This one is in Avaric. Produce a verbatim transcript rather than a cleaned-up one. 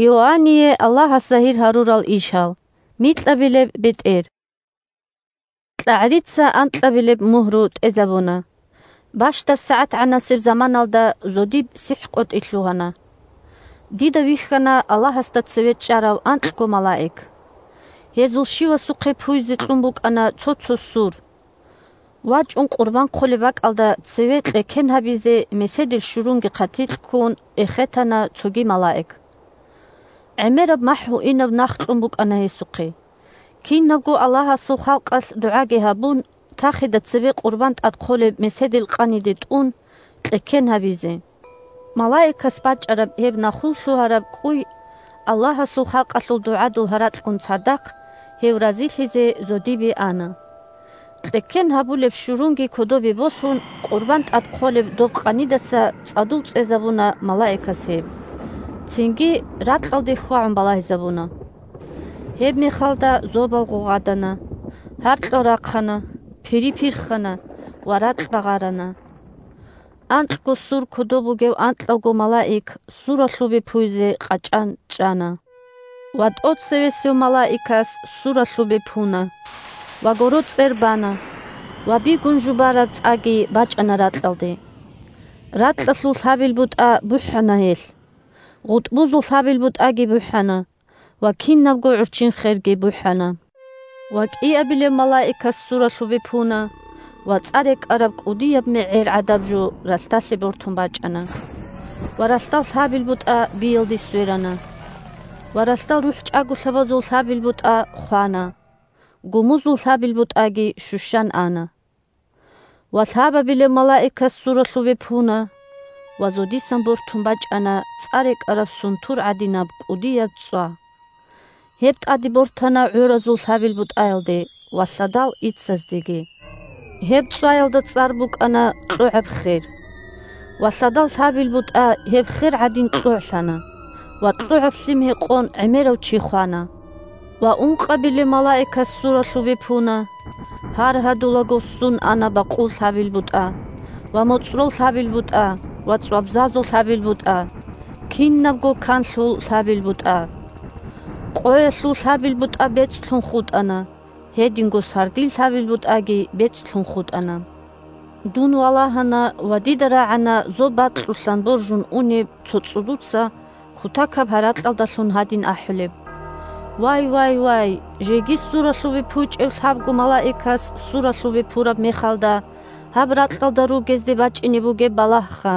Иоанние Аллагьас загьир гьарурал ишал. Микьабилеб бетӀер. КьагӀрица анкьабилеб мугьру тӀезабуна. Бащдаб сагӀатгӀанасеб заманалда зодиб сихӀкъотӀи лъугьана. Дида вихьана Аллагьасда цеве чӀарав анкьго малаик. Гьезул щивасухъе пуйзе кьун букӀана цо-цо сур. ВачӀун къурбан хъолеб бакӀалда цеве кьеккен гьабизе меседил щурунги хъатикь ккун эхетана цоги малаик. ГӀемераб махӀ гьуинаб нах кьун букӀана гьесухъе. Кинабго Аллагьасул халкъалъ дугӀаги гьабун, тахида цебе къурбан тӀад хъолеб меседил къаниде тӀун, кьеккен гьабизе. Малаикас бачӀараб гьеб нахул лъугьараб кӀуй Аллагьасул халкъалъул дугӀадул гьаракьун цадахъ гьев разилъизе зодибе ана. Кьеккен гьабулеб щурунги кодобе босун, къурбан тӀад хъолеб доб къанидаса цӀадул цӀезабуна малаикас гьеб. Цинги ракьалде хьвагӀун балагьизабуна. Гьеб мехалда зобал гъугъадана, гьаркьал рахъана, пири пирхана ва ракь багъарана. Анкьго сур кодоб бугев анкьавго малаик суралъубе пуйзе къачӀан чӀана. Ва тӀоцевесев малаикас суралъубе пуна, ва гороцӀер бана, ва бигун жубараб цӀаги бачӀана ракьалде. Ракьалъул лъабил бутӀа бухӀана гьелъ. ГъутӀбузул лъабил бутӀаги бухӀана, ва кинабго гӀурччин херги бухӀана. Ва кӀиабилеб малаикас суралъубе пуна, ва цӀа рекӀараб кӀудияб мегӀер гӀадаб жо ралъдалъе бортун бачӀана. Ва ралъдал лъабил бутӀа биялде сверана. Ва ралъдал рухӀчӀаголъабазул лъабил бутӀа хвана. Гумузул лъабил бутӀаги щущан ана. Ва лъабабилеб малаикас суралъубе пуна, ва зодисан бортун бачӀана цӀа рекӀараб сунтур гӀадинаб кӀудияб цӀва. Гьеб тӀаде бортана гӀоразул лъабил бутӀаялде ва лъадал ицаздеги. Гьеб цӀваялда цӀар букӀана КьогӀаб хер. Ва лъадал лъабил бутӀа гьеб хер гӀадин кьогӀлъана, ва кьогӀаб лъим гьекъон гӀемерав чи хвана. Ва ункъабилеб малаикас суралъубе пуна, гьар гьадулаго ссун ана бакъул лъабил бутӀа, ва моцӀрол лъабил бутӀа, ва цӀвабзазул лъабил бутӀа, кинабго канлъул лъабил бутӀа. Къоялъул лъабил бутӀа бецӀлъун хутӀана, гьединго сардил лъабил бутӀаги бецӀлъун хутӀана. Дун валагьана ва дида рагӀана зоб бакьулъан боржун унеб цо цӀудуца кутакаб гьаракьалдалъун гьадин ахӀулеб: «Вай, вай, вай, жеги суралъубе пучӀев лъабго малаикас суралъубе пураб мехалда гьаб ракьалда ругезде бачӀине бугеб балагьха!»